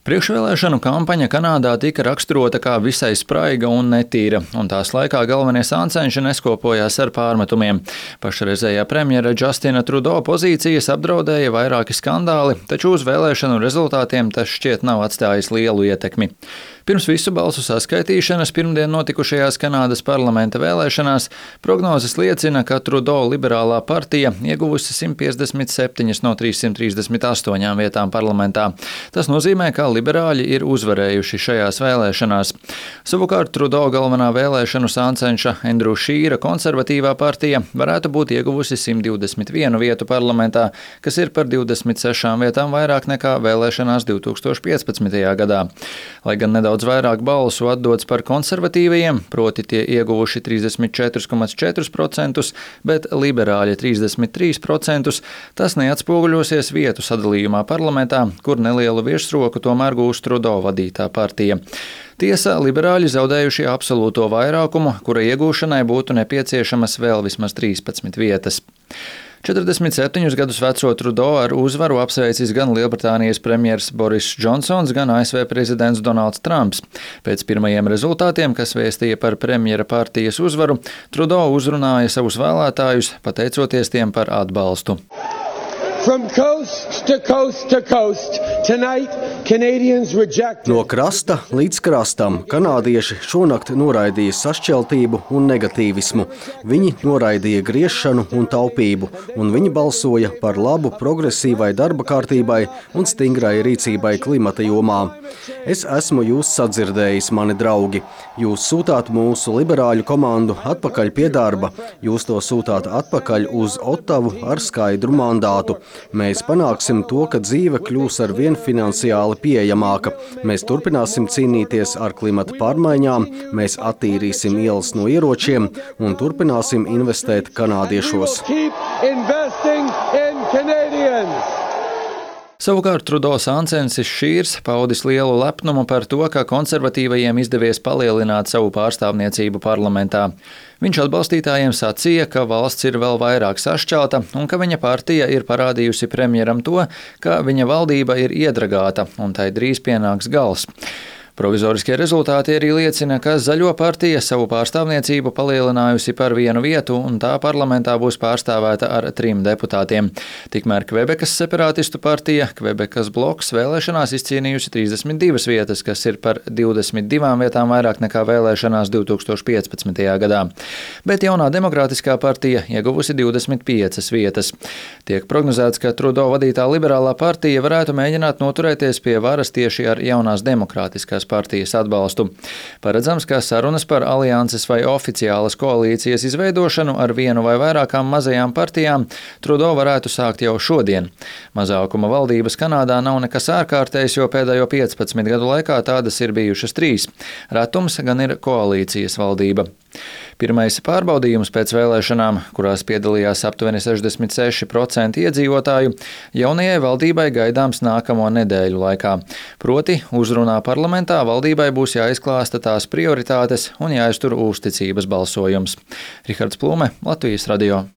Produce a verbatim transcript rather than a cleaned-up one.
Priekšvēlēšanu kampaņa Kanādā tika raksturota kā visai spraiga un netīra, un tās laikā galvenie sāncenši neskopojās ar pārmetumiem. Pašreizējā premjera Justina Trudeau pozīcijas apdraudēja vairāki skandāli, taču uz vēlēšanu rezultātiem tas šķiet nav atstājis lielu ietekmi. Pirms visu balsu saskaitīšanas pirmdien notikušajās Kanādas parlamenta vēlēšanās prognozes liecina, ka Trudeau liberālā partija ieguvusi simt piecdesmit septiņas no trīssimt trīsdesmit astoņām vietām parlamentā. Tas nozīmē, ka liberāļi ir uzvarējuši šajās vēlēšanās. Savukārt Trudeau galvenā vēlēšanu sāncenša Andrew Scheera konservatīvā partija varētu būt ieguvusi simt divdesmit vienu vietu parlamentā, kas ir par divdesmit sešām vietām vairāk nekā vēlēšanās divi tūkstoši piecpadsmitajā gadā. Lai gan nedaudz vairāk balsu atdots par konservatīvajiem, proti tie ieguvuši trīsdesmit četri komats četri procenti, bet liberāļi trīsdesmit trīs procenti, tas neatspoguļosies vietu sadalījumā parlamentā, kur nelielu virsroku tomēr gūs Trudeau vadītā partija. Tiesa, liberāļi zaudējuši absolūto vairākumu, kura iegūšanai būtu nepieciešamas vēl vismaz trīspadsmit vietas. četrdesmit septiņus gadus veco Trudeau ar uzvaru apsveicis gan Lielbritānijas premjers Boris Džonsons, gan A S V prezidents Donalds Trumps. Pēc pirmajiem rezultātiem, kas vēstīja par premjera partijas uzvaru, Trudeau uzrunāja savus vēlētājus, pateicoties tiem par atbalstu. From coast to coast to coast, tonight Canadians rejected. No krasta līdz krastam kanādieši šonakt noraidīja sašķeltību un negatīvismu. Viņi noraidīja griešanu un taupību, un viņi balsoja par labu progresīvai darba kārtībai un stingrai rīcībai klimata jomā. Es esmu jūs sadzirdējis, mani draugi. Jūs sūtāt mūsu liberāļu komandu atpakaļ pie darba. Jūs to sūtāt atpakaļ uz Ottavu ar skaidru mandātu. Mēs panāksim to, ka dzīve kļūs ar vien finansiāli pieejamāka. Mēs turpināsim cīnīties ar klimata pārmaiņām, mēs attīrīsim ielas no ieročiem un turpināsim investēt kanādiešos. Savukārt Trudeau sāncensis Scheers paudis lielu lepnumu par to, ka konservatīvajiem izdevies palielināt savu pārstāvniecību parlamentā. Viņš atbalstītājiem sacīja, ka valsts ir vēl vairāk sašķelta un ka viņa partija ir parādījusi premjeram to, ka viņa valdība ir iedragāta un tai drīz pienāks gals. Provizoriskie rezultāti arī liecina, ka Zaļo partija savu pārstāvniecību palielinājusi par vienu vietu un tā parlamentā būs pārstāvēta ar trim deputātiem. Tikmēr Kvebekas separātistu partija, Kvebekas bloks, vēlēšanās izcīnījusi trīsdesmit divas vietas, kas ir par divdesmit divām vietām vairāk nekā vēlēšanās divi tūkstoši piecpadsmitajā gadā. Bet jaunā demokrātiskā partija ieguvusi divdesmit piecas vietas. Tiek prognozēts, ka Trudeau vadītā liberālā partija varētu mēģināt noturēties pie varas tieši ar jaunās demokrātiskās partijas atbalstu. Paredzams, ka sarunas par alianses vai oficiālas koalīcijas izveidošanu ar vienu vai vairākām mazajām partijām Trudeau varētu sākt jau šodien. Mazākuma valdības Kanādā nav nekas ārkārtējs, jo pēdējo piecpadsmit gadu laikā tādas ir bijušas trīs. Retums gan ir koalīcijas valdība. Pirmais pārbaudījums pēc vēlēšanām, kurās piedalījās aptuveni sešdesmit seši procenti iedzīvotāju, jaunajai valdībai gaidāms nākamo nedēļu laikā. Proti, uzrunā parlamentā valdībai būs jāizklāsta tās prioritātes un jāiztur uzticības balsojums. Rihards Plume, Latvijas radio.